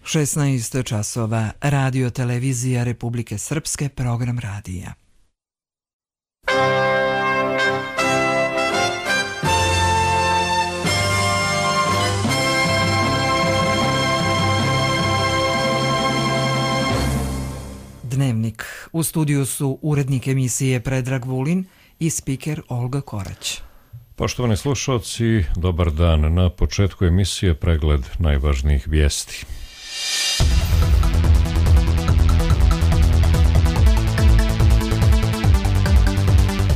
16 časova, Radio Televizija Republike Srpske, program radija. Dnevnik. U studiju su urednik emisije Predrag Vulin i spiker Olga Korać. Poštovani slušalci, dobar dan. Na početku emisije pregled najvažnijih vijesti.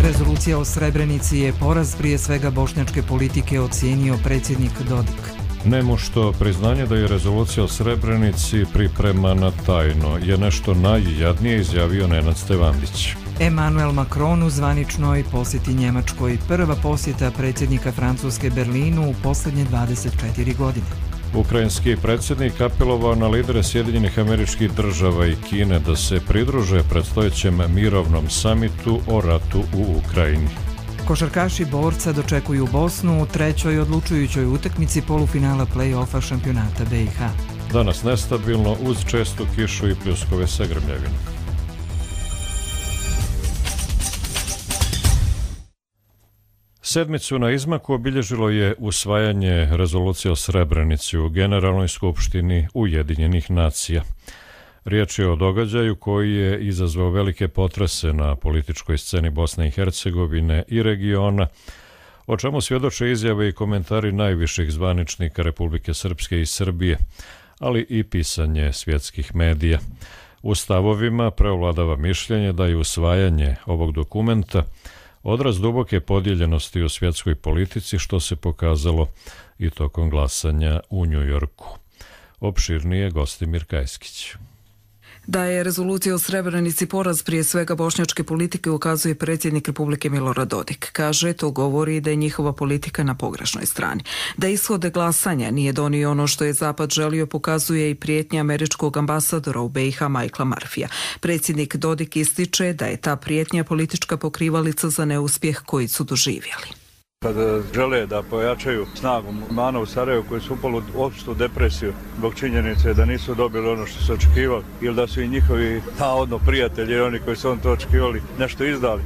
Rezolucija o Srebrenici je poraz prije svega bošnjačke politike, ocijenio predsjednik Dodik. Nemušto priznanje da je rezolucija o Srebrenici pripremana tajno je nešto najjadnije, izjavio Nenad Stevandić. Emmanuel Macron u zvaničnoj posjeti Njemačkoj, prva posjeta predsjednika Francuske Berlinu u posljednje 24 godine. Ukrajinski predsjednik apelovao na lidere Sjedinjenih Američkih Država i Kine da se pridruže predstojećem mirovnom samitu o ratu u Ukrajini. Košarkaši Borca dočekuju Bosnu u trećoj odlučujućoj utakmici polufinala play-offa šampionata BiH. Danas nestabilno uz čestu kišu i pljuskove sa grmljavinom. Sedmicu na izmaku obilježilo je usvajanje rezolucije o Srebrenici u Generalnoj skupštini Ujedinjenih nacija. Riječ je o događaju koji je izazvao velike potrese na političkoj sceni Bosne i Hercegovine i regiona, o čemu svjedoče izjave i komentari najviših zvaničnika Republike Srpske i Srbije, ali i pisanje svjetskih medija. U stavovima preovladava mišljenje da je usvajanje ovog dokumenta odraz duboke podijeljenosti u svjetskoj politici, što se pokazalo i tokom glasanja u Njujorku. Opširnije Gostimir Kajskić. Da je rezolucija o Srebrenici poraz prije svega bošnjačke politike ukazuje predsjednik Republike Milorad Dodik. Kaže, to govori da je njihova politika na pogrešnoj strani. Da ishode glasanja nije donio ono što je Zapad želio, pokazuje i prijetnja američkog ambasadora u BiH Michaela Murphyja. Predsjednik Dodik ističe da je ta prijetnja politička pokrivalica za neuspjeh koji su doživjeli. Kada žele da pojačaju snagu muslimana u Sarajevu koji su upali u opštu depresiju zbog činjenice da nisu dobili ono što su očekivali ili da su i njihovi navodno prijatelji i oni koji su on to očekivali nešto izdali,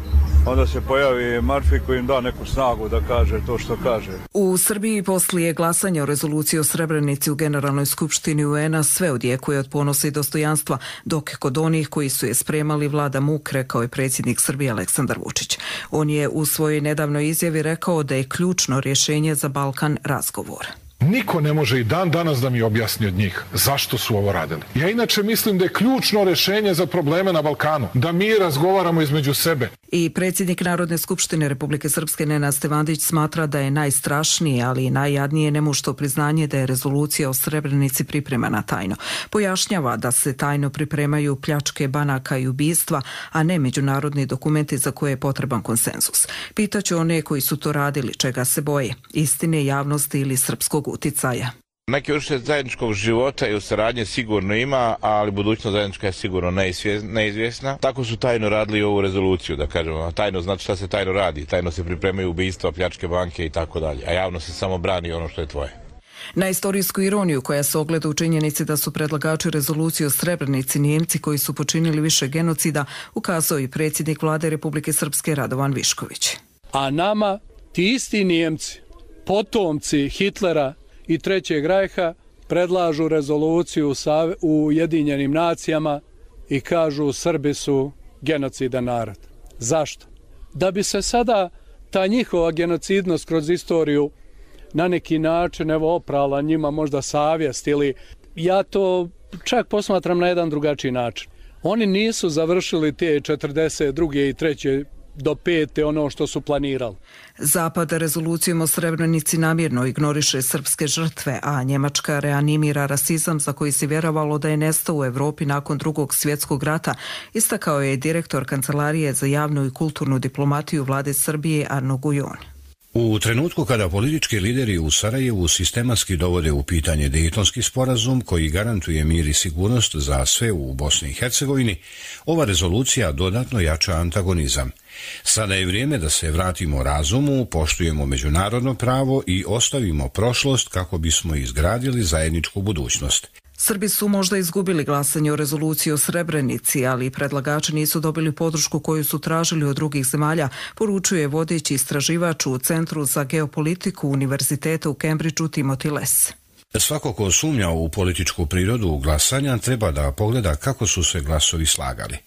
onda se pojavi Murphy koji im da neku snagu da kaže to što kaže. U Srbiji poslije glasanja o rezoluciji o Srebrenici u Generalnoj skupštini UN-a sve odjekuje od ponosa i dostojanstva, dok kod onih koji su je spremali vlada muk, rekao je predsjednik Srbije Aleksandar Vučić. On je u svojoj nedavnoj izjavi rekao da je ključno rješenje za Balkan razgovor. Niko ne može i dan danas da mi objasni od njih zašto su ovo radili. Ja inače mislim da je ključno rješenje za probleme na Balkanu da mi razgovaramo između sebe. I predsjednik Narodne skupštine Republike Srpske Nenad Stevandić smatra da je najstrašnije, ali i najjadnije nemušto priznanje da je rezolucija o Srebrenici pripremana tajno. Pojašnjava da se tajno pripremaju pljačke banaka i ubistva, a ne međunarodni dokumenti za koje je potreban konsenzus. Pitaću one koji su to radili čega se boje, istine, javnosti ili srpskog uticaja. Neki vrste zajedničkog života i u saradnje sigurno ima, ali budućnost zajednička je sigurno neizvjesna. Tako su tajno radili ovu rezoluciju, da kažemo. Tajno znači šta se tajno radi. Tajno se pripremaju ubistva, pljačke banke i tako dalje. A javno se samo brani ono što je tvoje. Na istorijsku ironiju koja se ogleda u činjenici da su predlagači rezolucije o Srebrenici Nijemci koji su počinili više genocida, ukazao i predsjednik vlade Republike Srpske Radovan Višković. A nama ti isti Nijemci, potomci Hitlera i Trećeg Rajha, predlažu rezoluciju u Ujedinjenim nacijama i kažu Srbi su genocidan narod. Zašto? Da bi se sada ta njihova genocidnost kroz istoriju na neki način oprala njima možda savjest, ili ja to čak posmatram na jedan drugačiji način. Oni nisu završili te 42. i 3. do 5. ono što su planirali. Zapad rezolucijom o Srebrenici namjerno ignoriše srpske žrtve, a Njemačka reanimira rasizam za koji se vjerovalo da je nestao u Europi nakon Drugog svjetskog rata, istakao je direktor Kancelarije za javnu i kulturnu diplomatiju vlade Srbije Arno Gujon. U trenutku kada politički lideri u Sarajevu sistematski dovode u pitanje Dejtonski sporazum koji garantuje mir i sigurnost za sve u Bosni i Hercegovini, ova rezolucija dodatno jača antagonizam. Sada je vrijeme da se vratimo razumu, poštujemo međunarodno pravo i ostavimo prošlost kako bismo izgradili zajedničku budućnost. Srbi su možda izgubili glasanje o rezoluciji o Srebrenici, ali predlagači nisu dobili podršku koju su tražili od drugih zemalja, poručuje vodeći istraživač u Centru za geopolitiku Univerziteta u Cambridgeu Timothy Less. Svako ko sumnja u političku prirodu glasanja treba da pogleda kako su se glasovi slagali.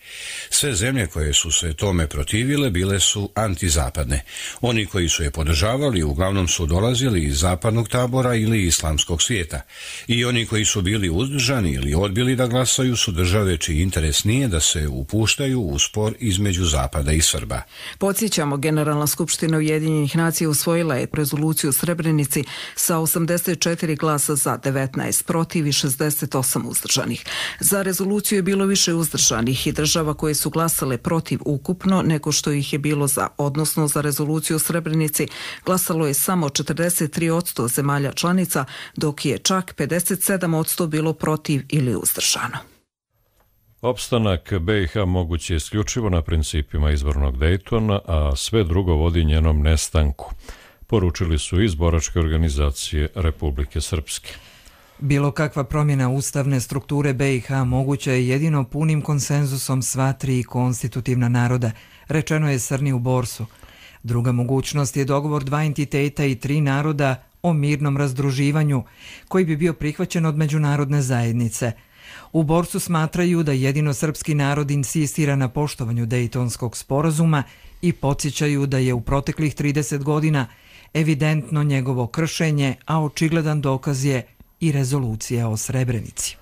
Sve zemlje koje su se tome protivile bile su antizapadne. Oni koji su je podržavali uglavnom su dolazili iz zapadnog tabora ili islamskog svijeta. I oni koji su bili uzdržani ili odbili da glasaju su države čiji interes nije da se upuštaju u spor između Zapada i Srba. Podsjećamo, Generalna skupština Ujedinjenih nacija usvojila je rezoluciju o Srebrenici sa 84 glasa za, 19 protiv i 68 uzdržanih. Za rezoluciju je bilo više uzdržanih i država koje su glasale protiv ukupno nego što ih je bilo za, odnosno za rezoluciju o Srebrenici glasalo je samo 43% zemalja članica, dok je čak 57% bilo protiv ili uzdržano. Opstanak BiH moguć je isključivo na principima izbornog Dejtona, a sve drugo vodi njenom nestanku, poručili su iz boračke organizacije Republike Srpske. Bilo kakva promjena ustavne strukture BiH moguća je jedino punim konsenzusom sva tri konstitutivna naroda, rečeno je Srni u Borsu. Druga mogućnost je dogovor dva entiteta i tri naroda o mirnom razdruživanju, koji bi bio prihvaćen od međunarodne zajednice. U Borsu smatraju da jedino srpski narod insistira na poštovanju Dejtonskog sporazuma i podsjećaju da je u proteklih 30 godina evidentno njegovo kršenje, a očigledan dokaz je i rezolucija o Srebrenici.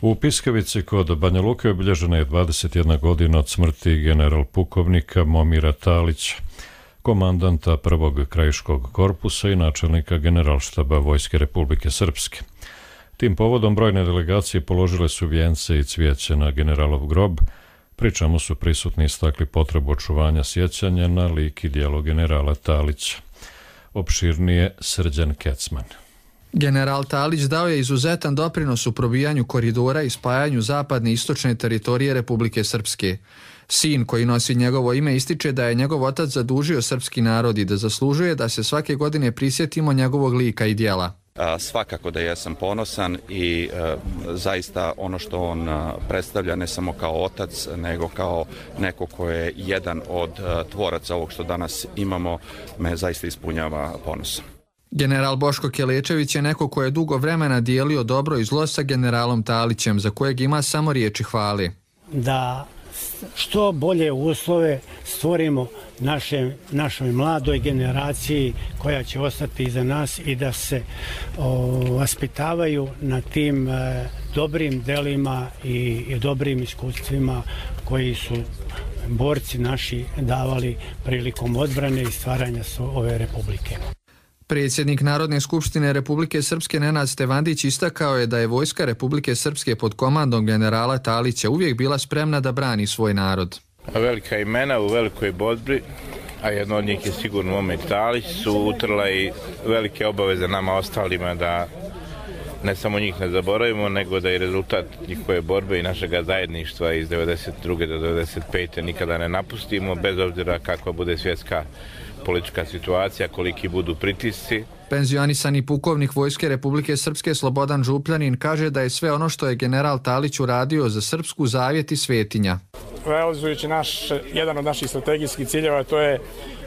U Piskavici kod Banja Luke obilježena je 21 godina od smrti general pukovnika Momira Talića, komandanta prvog krajiškog korpusa i načelnika generalštaba Vojske Republike Srpske. Tim povodom brojne delegacije položile su vijence i cvijeće na generalov grob, pri čemu su prisutni istakli potrebu očuvanja sjećanja na lik i djelo generala Talića. Opširnije Srđan Kecman. General Talić dao je izuzetan doprinos u probijanju koridora i spajanju zapadne i istočne teritorije Republike Srpske. Sin koji nosi njegovo ime ističe da je njegov otac zadužio srpski narod i da zaslužuje da se svake godine prisjetimo njegovog lika i djela. Svakako da jesam ponosan i zaista ono što on predstavlja ne samo kao otac, nego kao neko ko je jedan od tvoraca ovog što danas imamo, me zaista ispunjava ponosom. General Boško Kelečević je neko ko je dugo vremena dijelio dobro i zlo sa generalom Talićem, za kojeg ima samo riječi hvale. Da što bolje uslove stvorimo našoj mladoj generaciji koja će ostati iza nas i da se vaspitavaju na tim dobrim delima i dobrim iskustvima koji su borci naši davali prilikom odbrane i stvaranja ove republike. Predsjednik Narodne skupštine Republike Srpske Nenad Stevandić istakao je da je Vojska Republike Srpske pod komandom generala Talića uvijek bila spremna da brani svoj narod. Velika imena u velikoj borbi, a jedno od njih je sigurno Momir Talić, su utrla i velike obaveze nama ostalima da ne samo njih ne zaboravimo, nego da i rezultat njihove borbe i našega zajedništva iz 92. do 95. nikada ne napustimo, bez obzira kakva bude svjetska politička situacija, koliki budu pritisci. Penzionisani pukovnik Vojske Republike Srpske Slobodan Župljanin kaže da je sve ono što je general Talić uradio za srpsku zavjet i svetinja. Realizujući jedan od naših strategijskih ciljeva, to je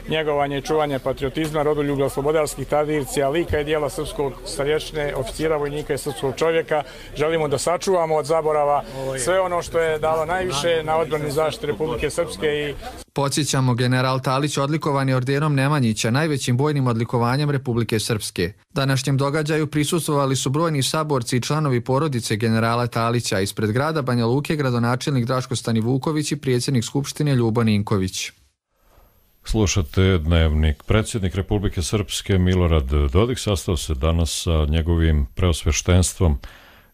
njegovanje i čuvanje patriotizma, rodoljublja, slobodarskih tradicija, lika i dijela srpskog starješine, oficira, vojnika i srpskog čovjeka. Želimo da sačuvamo od zaborava sve ono što je dalo najviše na odbrani zaštite Republike Srpske. Podsjećamo, general Talić odlikovan je ordenom Nemanjića, najvećim bojnim odlikovanjem Republike Srpske. Današnjem događaju prisustvovali su brojni saborci i članovi porodice generala Talića. Ispred grada Banja Luke gradonačelnik Draško Stanivuković i predsjednik Skupštine Ljubo Ninković. Slušate Dnevnik. Predsjednik Republike Srpske Milorad Dodik sastao se danas sa njegovim preosveštenstvom,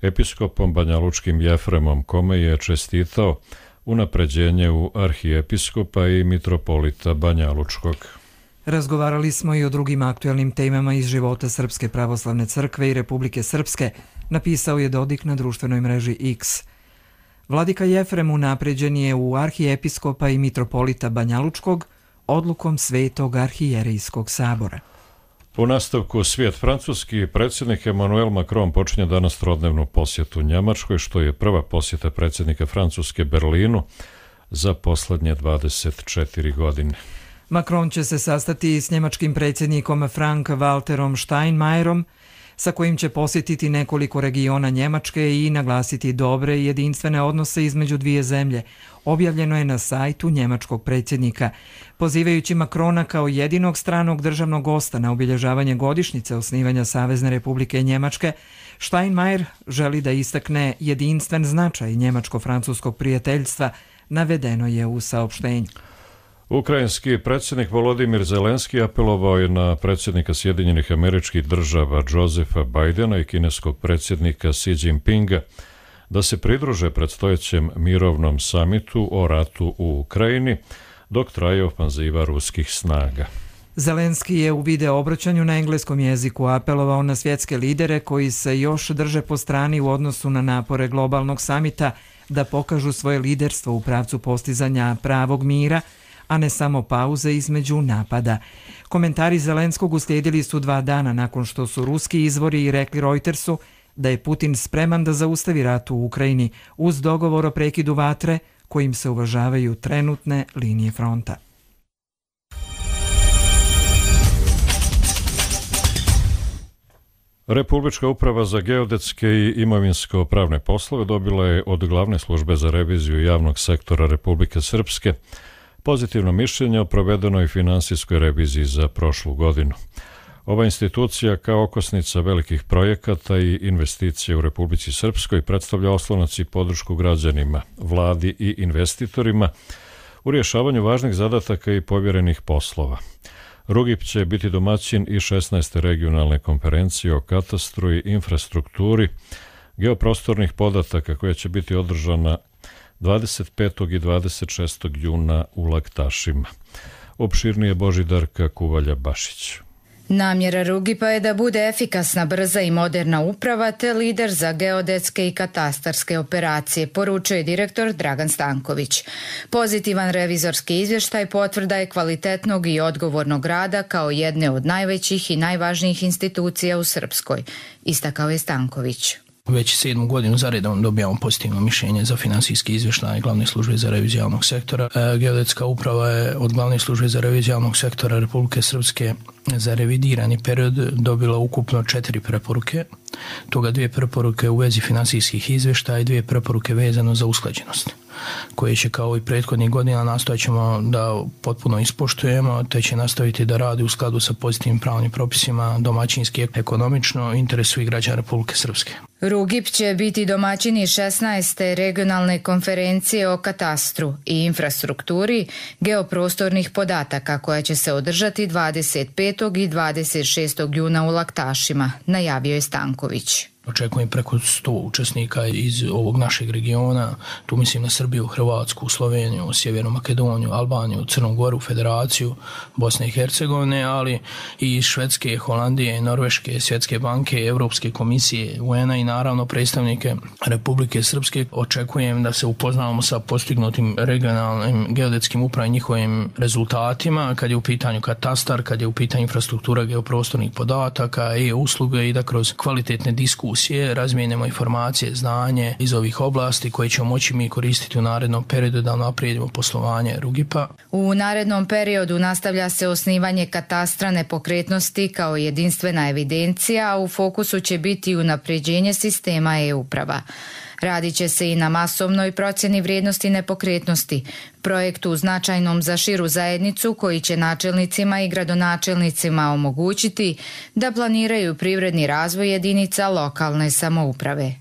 episkopom banjalučkim Jefremom, kome je čestitao unapređenje u arhijepiskopa i mitropolita Banjalučkog. Razgovarali smo i o drugim aktuelnim temama iz života Srpske pravoslavne crkve i Republike Srpske, napisao je Dodik na društvenoj mreži X. Vladika Jefrem unapređen je u arhijepiskopa i mitropolita Banjalučkog odlukom Svetog arhijerejskog sabora. U nastavku svijet francuski predsjednik Emmanuel Macron počinje danas trodnevnu posjetu Njemačkoj, što je prva posjeta predsjednika Francuske Berlinu za posljednje 24 godine. Macron će se sastati s njemačkim predsjednikom Frank-Walterom Steinmeierom, sa kojim će posjetiti nekoliko regiona Njemačke i naglasiti dobre i jedinstvene odnose između dvije zemlje. Objavljeno je na sajtu njemačkog predsjednika. Pozivajući Macrona kao jedinog stranog državnog gosta na obilježavanje godišnjice osnivanja Savezne Republike Njemačke, Steinmeier želi da istakne jedinstven značaj njemačko-francuskog prijateljstva, navedeno je u saopštenju. Ukrajinski predsjednik Volodimir Zelenski apelovao je na predsjednika Sjedinjenih Američkih Država Josefa Bidena i kineskog predsjednika Xi Jinpinga da se pridruže predstojećem mirovnom samitu o ratu u Ukrajini dok traje ofanziva ruskih snaga. Zelenski je u video obraćanju na engleskom jeziku apelovao na svjetske lidere koji se još drže po strani u odnosu na napore globalnog samita da pokažu svoje liderstvo u pravcu postizanja pravog mira, a ne samo pauze između napada. Komentari Zelenskog uslijedili su 2 dana nakon što su ruski izvori rekli Reutersu da je Putin spreman da zaustavi rat u Ukrajini uz dogovor o prekidu vatre kojim se uvažavaju trenutne linije fronta. Republička uprava za geodetske i imovinsko-pravne poslove dobila je od Glavne službe za reviziju javnog sektora Republike Srpske pozitivno mišljenje o provedenoj finansijskoj reviziji za prošlu godinu. Ova institucija kao okosnica velikih projekata i investicija u Republici Srpskoj predstavlja oslonac i podršku građanima, vladi i investitorima u rješavanju važnih zadataka i povjerenih poslova. RUGIP će biti domaćin i 16. regionalne konferencije o katastru i infrastrukturi geoprostornih podataka koja će biti održana 25. i 26. juna u Laktašima. Opširnije Božidarka Kuvalja-Bašić. Namjera RUGIP-a je da bude efikasna, brza i moderna uprava te lider za geodetske i katastarske operacije, poručuje direktor Dragan Stanković. Pozitivan revizorski izvještaj potvrda je kvalitetnog i odgovornog rada kao jedne od najvećih i najvažnijih institucija u Srpskoj, istakao je Stanković. Već 7. godinu za redom dobijamo pozitivno mišljenje za finansijski izvještaj Glavne službe za reviziju javnog sektora. Geodetska uprava je od Glavne službe za reviziju javnog sektora Republike Srpske za revidirani period dobila ukupno 4 preporuke, toga 2 preporuke u vezi finansijskih izvještaja i 2 preporuke vezano za usklađenost, koje će kao i prethodnih godina nastojat ćemo da potpuno ispoštujemo, te će nastaviti da radi u skladu sa pozitivnim pravnim propisima, domaćinski, ekonomično, interesu i građana Republike Srpske. RUGIP će biti domaćini 16. regionalne konferencije o katastru i infrastrukturi geoprostornih podataka koja će se održati 25. i 26. juna u Laktašima, najavio je Stanković. Očekujem preko 100 učesnika iz ovog našeg regiona, tu mislim na Srbiju, Hrvatsku, Sloveniju, Sjevernu Makedoniju, Albaniju, Crnu Goru, Federaciju, Bosne i Hercegovine, ali i iz Švedske, Holandije, Norveške, Svjetske banke, Europske komisije, UN-a i naravno predstavnike Republike Srpske. Očekujem da se upoznamo sa postignutim regionalnim geodetskim upravim njihovim rezultatima, kad je u pitanju katastar, kad je u pitanju infrastruktura geoprostornih podataka i usluge i da kroz kvalitetne diskusije razmijenimo informacije, znanje iz ovih oblasti koje ćemo moći mi koristiti u narednom periodu da unaprijedimo poslovanje RUGIP-a. U narednom periodu nastavlja se osnivanje katastra nepokretnosti kao jedinstvena evidencija, a u fokusu će biti unapređenje sistema e-uprava. Radit će se i na masovnoj procjeni vrijednosti nepokretnosti, projektu značajnom za širu zajednicu koji će načelnicima i gradonačelnicima omogućiti da planiraju privredni razvoj jedinica lokalne samouprave.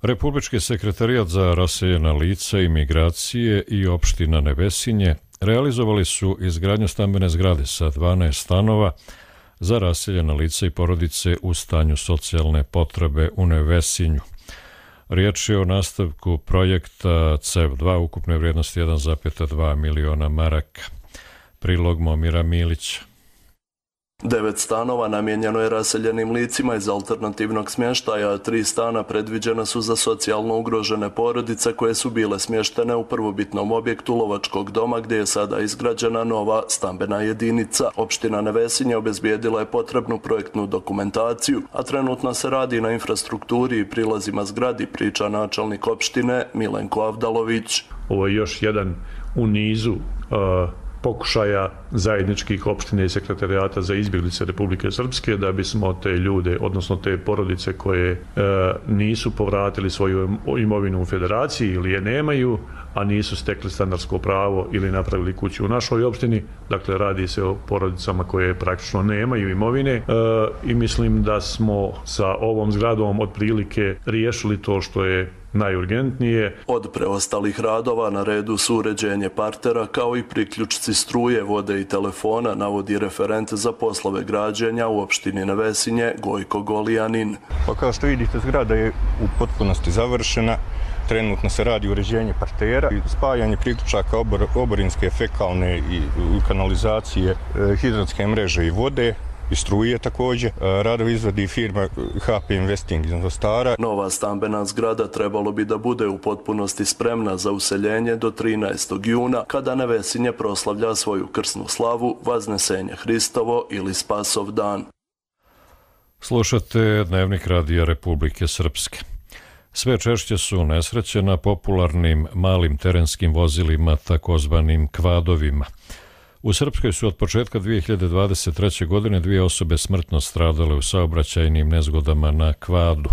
Republički sekretarijat za raseljena lica i migracije i opština Nevesinje realizovali su izgradnju stambene zgrade sa 12 stanova za raseljena lica i porodice u stanju socijalne potrebe u Nevesinju. Riječ je o nastavku projekta CEV2 ukupne vrijednosti 1,2 miliona maraka. Prilog Momira Milića. 9 stanova namijenjeno je raseljenim licima iz alternativnog smještaja, a 3 stana predviđena su za socijalno ugrožene porodice koje su bile smještene u prvobitnom objektu lovačkog doma gdje je sada izgrađena nova stambena jedinica. Opština Nevesinje obezbijedila je potrebnu projektnu dokumentaciju, a trenutno se radi na infrastrukturi i prilazima zgradi, priča načelnik opštine Milenko Avdalović. Ovo je još jedan u nizu pokušaja zajedničkih opštine i sekretarijata za izbjeglice Republike Srpske da bismo te ljude, odnosno te porodice koje nisu povratili svoju imovinu u federaciji ili je nemaju, a nisu stekli stanarsko pravo ili napravili kuću u našoj opštini. Dakle, radi se o porodicama koje praktično nemaju imovine i mislim da smo sa ovom zgradom otprilike riješili to što je najurgentnije. Od preostalih radova na redu su uređenje partera kao i priključci struje, vode i telefona, navodi referent za poslove građenja u opštini Nevesinje Gojko Golijanin. Pa kao što vidite, zgrada je u potpunosti završena. Trenutno se radi uređenje partera i spajanje priključaka oborinske, fekalne i kanalizacije, hidratske mreže i vode i struje također. Radovi izvodi firma HP Investing iz Mostara. Nova stambena zgrada trebalo bi da bude u potpunosti spremna za useljenje do 13. juna, kada Nevesinje proslavlja svoju krsnu slavu, Vaznesenje Hristovo ili Spasov dan. Slušate Dnevnik Radija Republike Srpske. Sve češće su nesreće na popularnim malim terenskim vozilima, takozvanim kvadovima. U Srpskoj su od početka 2023. godine 2 osobe smrtno stradale u saobraćajnim nezgodama na kvadu.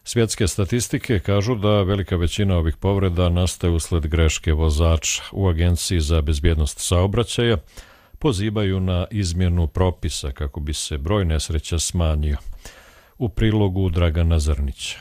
Svjetske statistike kažu da velika većina ovih povreda nastaje usled greške vozača. U Agenciji za bezbjednost saobraćaja pozivaju na izmjenu propisa kako bi se broj nesreća smanjio. U prilogu Dragana Zrnića.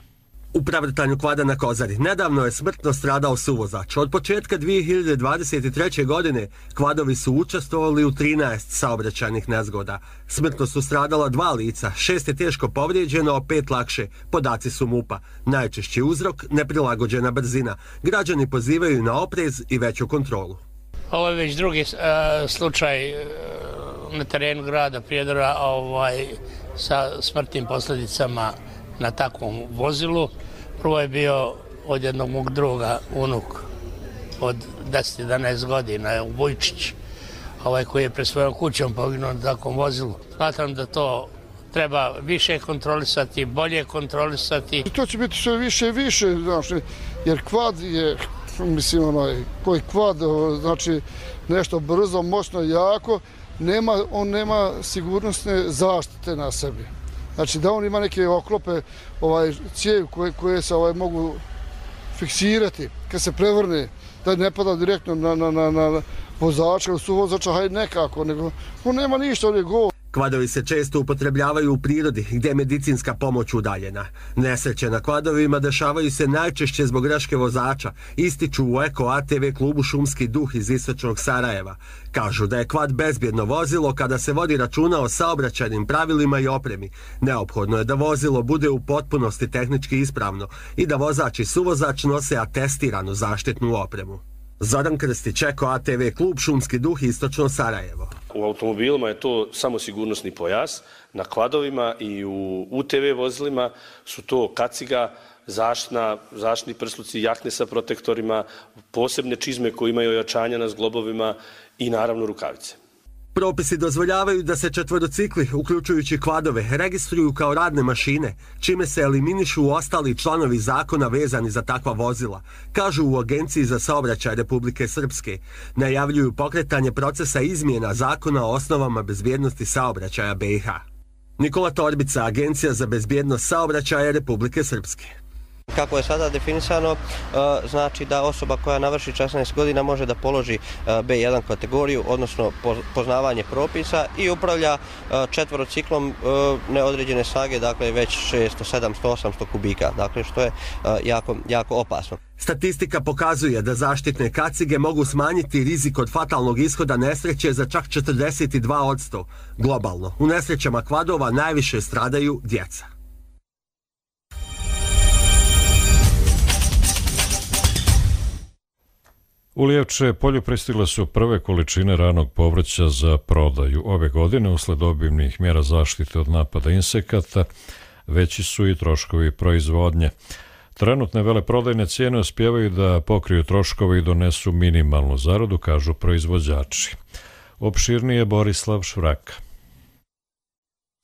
U prevrtanju kvada na Kozari nedavno je smrtno stradao suvozač. Od početka 2023. godine kvadovi su učestvovali u 13 saobraćajnih nezgoda. Smrtno su stradala 2 lica, 6 je teško povrijeđeno, a 5 lakše. Podaci su MUP-a. Najčešći uzrok neprilagođena brzina. Građani pozivaju na oprez i veću kontrolu. Ovo je već drugi slučaj na terenu grada Prijedora sa smrtnim posljedicama na takvom vozilu. Prvo je bio od jednog mog druga, unuk od 10-11 godina, Vujčić, koji je pred svojom kućom poginuo na takvom vozilu. Smatram da to treba više kontrolisati, bolje kontrolisati. To će biti sve više i više, jer kvad je, koji kvad, znači nešto brzo, moćno, jako, on nema sigurnosne zaštite na sebi. Znači da on ima neke oklope, cijevi koje se mogu fiksirati kad se prevrne, da ne pada direktno na vozača ili suvozača, hajde nekako, nego on nema ništa, on je gol. Kvadovi se često upotrebljavaju u prirodi gdje je medicinska pomoć udaljena. Nesreće na kvadovima dešavaju se najčešće zbog greške vozača, ističu u Eko ATV klubu Šumski duh iz istočnog Sarajeva. Kažu da je kvad bezbjedno vozilo kada se vodi računa o saobraćajnim pravilima i opremi. Neophodno je da vozilo bude u potpunosti tehnički ispravno i da vozač i suvozač nose atestiranu zaštitnu opremu. Zoran Krstić, Eko ATV klub Šumski duh, istočno Sarajevo. U automobilima je to samo sigurnosni pojas, na kvadovima i u UTV vozilima su to kaciga, zaštitni prsluci, jakne sa protektorima, posebne čizme koje imaju ojačanja na zglobovima i naravno rukavice. Propisi dozvoljavaju da se četvorocikli, uključujući kvadove, registruju kao radne mašine, čime se eliminišu ostali članovi zakona vezani za takva vozila, kažu u Agenciji za saobraćaj Republike Srpske. Najavljuju pokretanje procesa izmjena zakona o osnovama bezbjednosti saobraćaja BiH. Nikola Torbica, Agencija za bezbjednost saobraćaja Republike Srpske. Kako je sada definisano, znači da osoba koja navrši 16 godina može da položi B1 kategoriju, odnosno poznavanje propisa i upravlja četvorociklom neodređene snage, dakle već 600, 700, 800 kubika, dakle što je jako opasno. Statistika pokazuje da zaštitne kacige mogu smanjiti rizik od fatalnog ishoda nesreće za čak 42%. Globalno, u nesrećama kvadova najviše stradaju djeca. U Lijevče polju pristigle su prve količine ranog povrća za prodaju. Ove godine, usled obimnih mjera zaštite od napada insekata, veći su i troškovi proizvodnje. Trenutne veleprodajne cijene uspijevaju da pokriju troškove i donesu minimalnu zaradu, kažu proizvođači. Opširnije Borislav Švraka.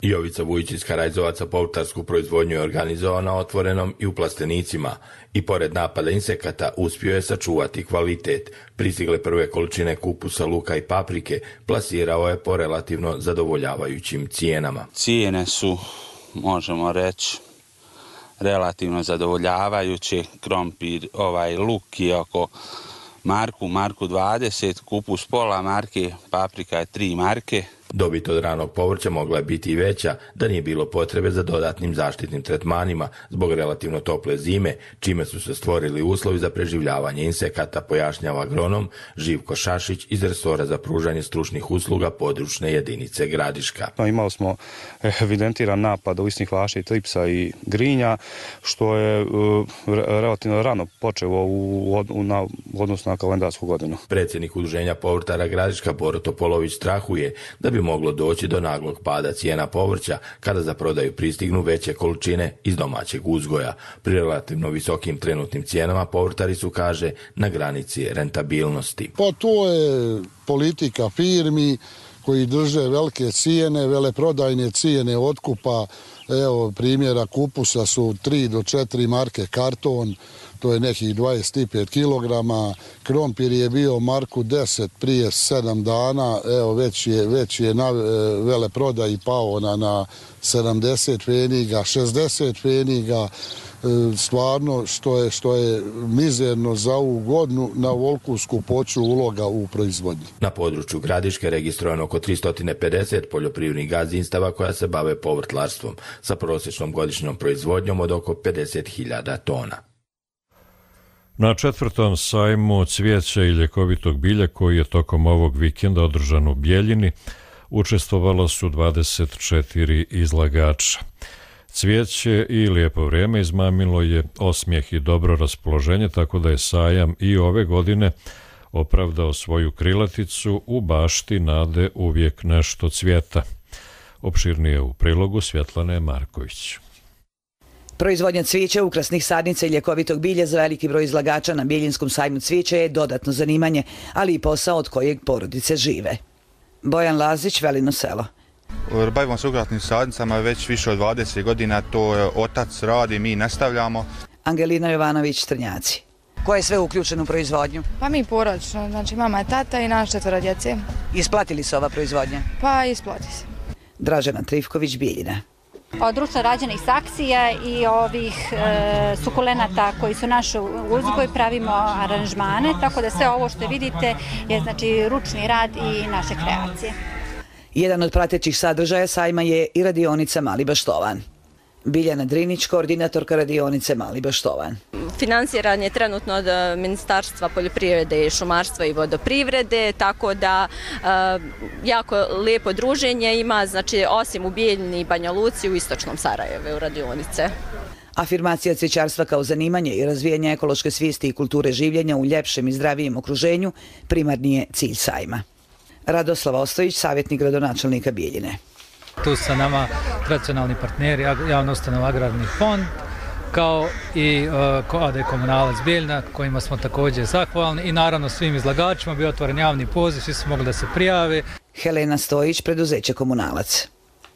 Jovica Vujić iz Karajzovaca povrtarsku proizvodnju je organizovao na otvorenom i u plastenicima i pored napada insekata uspio je sačuvati kvalitet. Pristigle prve količine kupusa, luka i paprike plasirao je po relativno zadovoljavajućim cijenama. Cijene su, možemo reći, relativno zadovoljavajuće. Krompir, luk je oko marku 20, kupus pola marke, paprika je 3 marke. Dobit od ranog povrća mogla je biti i veća da nije bilo potrebe za dodatnim zaštitnim tretmanima zbog relativno tople zime, čime su se stvorili uslovi za preživljavanje insekata, pojašnjava agronom Živko Šašić iz resora za pružanje stručnih usluga područne jedinice Gradiška. Imali smo evidentiran napad uvisnih vaši, tripsa i grinja, što je relativno rano počelo u odnosu na kalendarsku godinu. Predsjednik udruženja povrtara Gradiška Boro Topolović strahuje da bi moglo doći do naglog pada cijena povrća kada za prodaju pristignu veće količine iz domaćeg uzgoja. Pri relativno visokim trenutnim cijenama povrtari su, kaže, na granici rentabilnosti. Pa to je politika firmi koji drže velike cijene, veleprodajne cijene otkupa. Evo primjera kupusa su 3 do 4 marke karton, to je nekih 25 kilograma. Krompir je bio marku 10 prije 7 dana, evo već je na veleprodaji pao na 70 pfeniga, 60 pfeniga. Stvarno što je mizerno za ovu godinu na ovolku skupoću uloga u proizvodnji. Na području Gradiške registrovano oko 350 poljoprivrednih gazdinstava koja se bave povrtlarstvom sa prosječnom godišnjom proizvodnjom od oko 50.000 tona. Na 4. sajmu cvijeća i ljekovitog bilja koji je tokom ovog vikenda održan u Bijeljini učestvovalo su 24 izlagača. Cvijeće i lijepo vrijeme izmamilo je osmijeh i dobro raspoloženje, tako da je sajam i ove godine opravdao svoju krilaticu u bašti nade uvijek nešto cvijeta. Opširnije u prilogu Svjetlane Marković. Proizvodnja cvijeća, ukrasnih sadnica i ljekovitog bilja za veliki broj izlagača na Biljinskom sajmu cvijeća je dodatno zanimanje, ali i posao od kojeg porodice žive. Bojan Lazić, Velino selo. Bavimo se ukrasnim sadnicama već više od 20 godina, to otac radi, mi nastavljamo. Angelina Jovanović, Trnjaci. Ko je sve uključen u proizvodnju? Pa mi porodično, znači mama, tata i naš 4 djece. Isplati li se ova proizvodnja? Pa isplati se. Dražena Trifković, Bijeljina. Od društva rađenih saksija i ovih sukulenata koji su naš uzgoj pravimo aranžmane, tako da sve ovo što vidite je znači ručni rad i naše kreacije. Jedan od pratećih sadržaja sajma je i radionica Mali Baštovan. Biljana Drinić, koordinatorka radionice Mali Baštovan. Financiran je trenutno od Ministarstva poljoprivrede i šumarstva i vodoprivrede, tako da jako lijepo druženje ima, znači osim u Bijeljini i Banja Luci u istočnom Sarajevu u radionice. Afirmacija cvijećarstva kao zanimanje i razvijanje ekološke svijesti i kulture življenja u ljepšem i zdravijem okruženju primarni je cilj sajma. Radoslav Ostojić, savjetnik gradonačelnika Bijeljine. Tu su sa nama tradicionalni partneri, javna ustanova Agrarni fond, kao i AD Komunalac Bijeljina, kojima smo također zahvalni, i naravno svim izlagačima bio otvoren javni poziv, svi su mogli da se prijave. Helena Stojić, preduzeće Komunalac.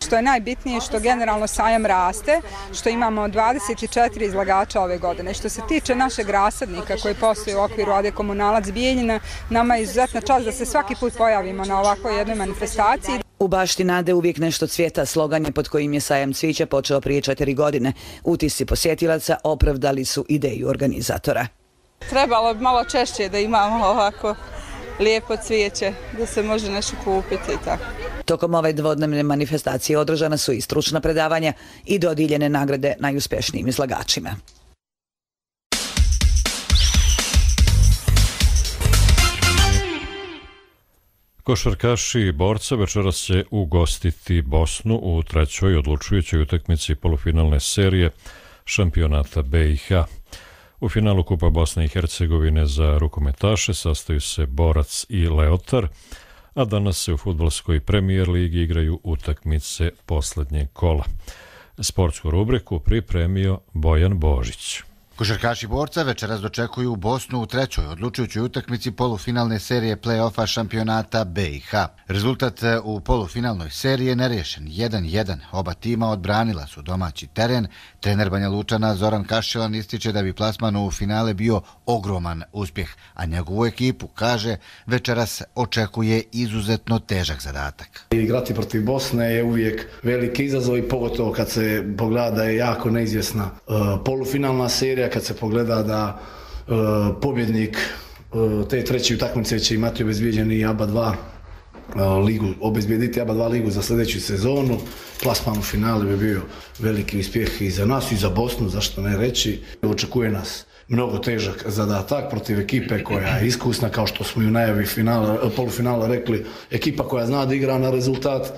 Što je najbitnije, što generalno sajam raste, što imamo 24 izlagača ove godine. Što se tiče našeg rasadnika koji postoji u okviru AD Komunalac Bijeljina, nama je izuzetna čast da se svaki put pojavimo na ovakvoj jednoj manifestaciji. U bašti nade uvijek nešto cvijeta, slogan je pod kojim je sajam cvijeća počeo prije 4 godine. Utisci posjetilaca opravdali su ideju organizatora. Trebalo bi malo češće da imamo ovako lijepo cvijeće, da se može nešto kupiti i tako. Tokom ove dvodnevne manifestacije održana su i stručna predavanja i dodijeljene nagrade najuspješnijim izlagačima. Košarkaši borca večeras će ugostiti Bosnu u trećoj odlučujućoj utakmici polufinalne serije šampionata BiH. U finalu Kupa Bosne i Hercegovine za rukometaše sastaju se Borac i Leotar, a danas se u fudbalskoj premijer ligi igraju utakmice posljednjeg kola. Sportsku rubriku pripremio Bojan Božić. Košarkaši Borca večeras dočekuju Bosnu u trećoj odlučujućoj utakmici polufinalne serije play-offa šampionata BiH. Rezultat u polufinalnoj seriji je nerješen 1-1. Oba tima odbranila su domaći teren. Trener Banja Lučana Zoran Kaščelan ističe da bi plasman u finale bio ogroman uspjeh, a njegovu ekipu, kaže, večeras očekuje izuzetno težak zadatak. Igrati protiv Bosne je uvijek veliki izazov i pogotovo kad se pogleda da je jako neizvjesna polufinalna serija, kad se pogleda da pobjednik te treće utakmice će imati obezbijeđeni ABA 2 ligu, obezbijediti ABA 2 ligu za sljedeću sezonu. Plasman u finale bi bio veliki uspjeh i za nas i za Bosnu, zašto ne reći. Očekuje nas mnogo težak zadatak protiv ekipe koja je iskusna, kao što smo i u najavi polufinala rekli, ekipa koja zna da igra na rezultat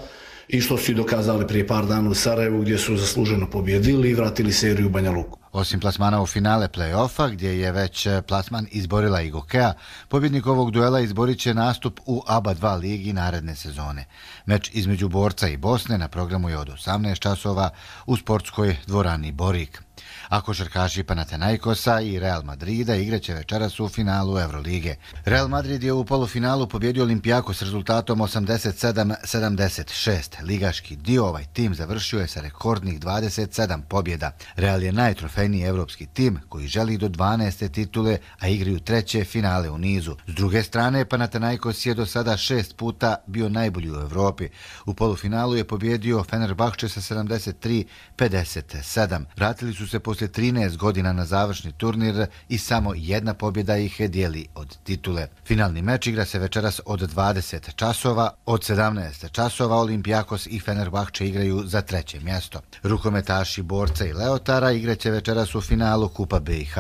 i što su i dokazali prije par dana u Sarajevu, gdje su zasluženo pobjedili i vratili seriju u Banja Luku. Osim plasmana u finale play-offa, gdje je već plasman izborila i Gokea, pobjednik ovog duela izborit će nastup u ABA 2 ligi naredne sezone. Meč između Borca i Bosne na programu je od 18 časova u sportskoj dvorani Borik. A košarkaši Panathinaikosa i Real Madrida igraće večeras u finalu Eurolige. Real Madrid je u polufinalu pobjedio Olympiakos s rezultatom 87-76. Ligaški dio ovaj tim završio je sa rekordnih 27 pobjeda. Real je najtrofejniji evropski tim koji želi do 12. titule, a igraju treće finale u nizu. S druge strane, Panathinaikos je do sada 6 puta bio najbolji u Evropi. U polufinalu je pobjedio Fenerbahče sa 73-57. Vratili su se poslije 13 godina na završni turnir i samo jedna pobjeda ih dijeli od titule. Finalni meč igra se večeras od 20 časova. Od 17 časova Olympiakos i Fenerbahče igraju za treće mjesto. Rukometaši Borca i Leotara igraće večeras u finalu Kupa BiH.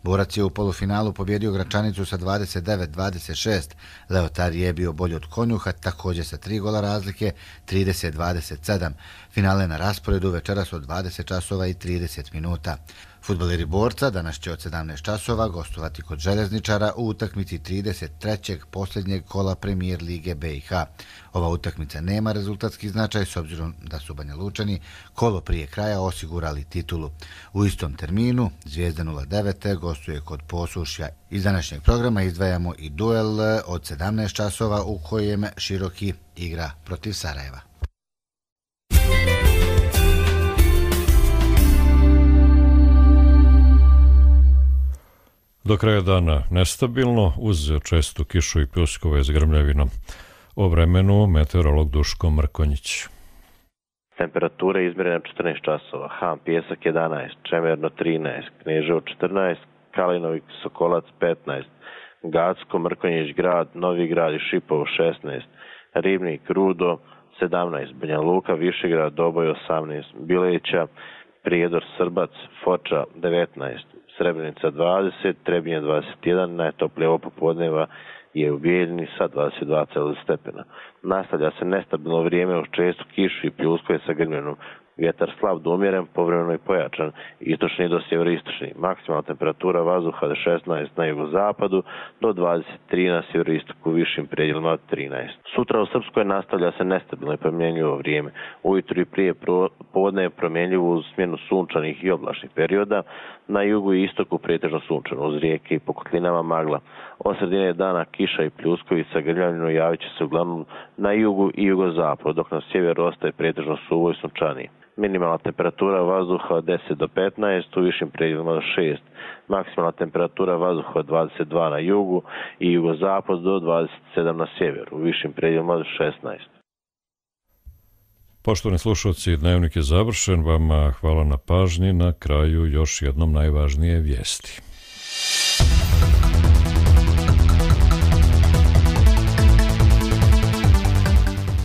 Borac je u polufinalu pobjedio Gračanicu sa 29-26. Leotar je bio bolji od Konjuha, također sa 3 gola razlike, 30-27. Finale na rasporedu večeras od 20 časova i 30 minuta. Fudbaleri Borca danas će od 17 časova gostovati kod Željezničara u utakmici 33. posljednjeg kola Premijer lige BiH. Ova utakmica nema rezultatski značaj s obzirom da su Banja Lučani kolo prije kraja osigurali titulu. U istom terminu Zvijezda 09 gostuje kod Posušja. Iz današnjeg programa izdvajamo i duel od 17 časova u kojem Široki igra protiv Sarajeva. Do kraja dana nestabilno, uz čestu kišu i pljuskove s grmljavinom. O vremenu meteorolog Duško Mrkonjić. Temperature izmjerene 14 časova, Han Pjesak 11, Čemerno 13, Kneževo 14, Kalinovik Sokolac 15, Gacko, Mrkonjić grad, Novi grad i Šipovo 16, Ribnik, Rudo 17, Banja Luka, Višegrad, Doboj 18, Bileća, Prijedor, Srbac, Foča 19, Srebrenica 20, Trebinje 21, najtoplije ovo popodneva je u Bijeljini sa 22 stepena. Nastavlja se nestabilno vrijeme uz čestu kišu i pljuskove sa grmljenom. Vjetar slab do umjeren, povremeno i pojačan, istočni do sjeveroistočni. Maksimalna temperatura vazduha 16 na jugozapadu do 23 na sjeveroistoku, višim predjelima od 13. Sutra u Srpskoj nastavlja se nestabilno i promjenjivo vrijeme. Ujutro i prije podne je promjenjivo uz smjenu sunčanih i oblačnih perioda. Na jugu i istoku pretežno sunčano, uz rijeke i po kotlinama magla. Od sredine dana kiša i pljuskovi sa grmljavinom javit će se uglavnom na jugu i jugozapadu, dok na sjeveru ostaje pretežno suvo i sunčanije. Minimalna temperatura vazduha od 10 do 15, u višim predjelima do 6. Maksimalna temperatura vazduha od 22 na jugu i jugozapad do 27 na sjeveru, u višim predjelima do 16. Poštovani slušalci, dnevnik je završen. Vama hvala na pažnji. Na kraju još jednom najvažnije vijesti.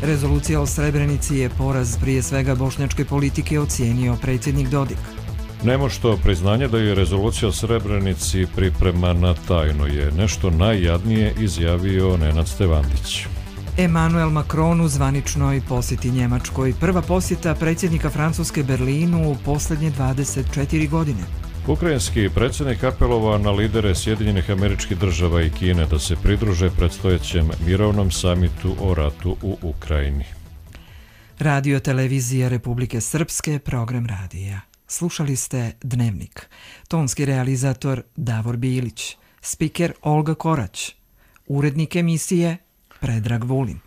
Rezolucija o Srebrenici je poraz prije svega bošnjačke politike, ocijenio predsjednik Dodik. Nemošto priznanje da je rezolucija o Srebrenici pripremana tajno je nešto najjadnije, izjavio Nenad Stevandić. Emmanuel Macron u zvaničnoj posjeti Njemačkoj. Prva posjeta predsjednika Francuske Berlinu u posljednje 24 godine. Ukrajinski predsjednik apelovao na lidere Sjedinjenih Američkih Država i Kine da se pridruže predstojećem mirovnom samitu o ratu u Ukrajini. Radio televizija Republike Srpske, program radija. Slušali ste Dnevnik. Tonski realizator Davor Bilić, spiker Olga Korać, urednik emisije Predrag Vulin.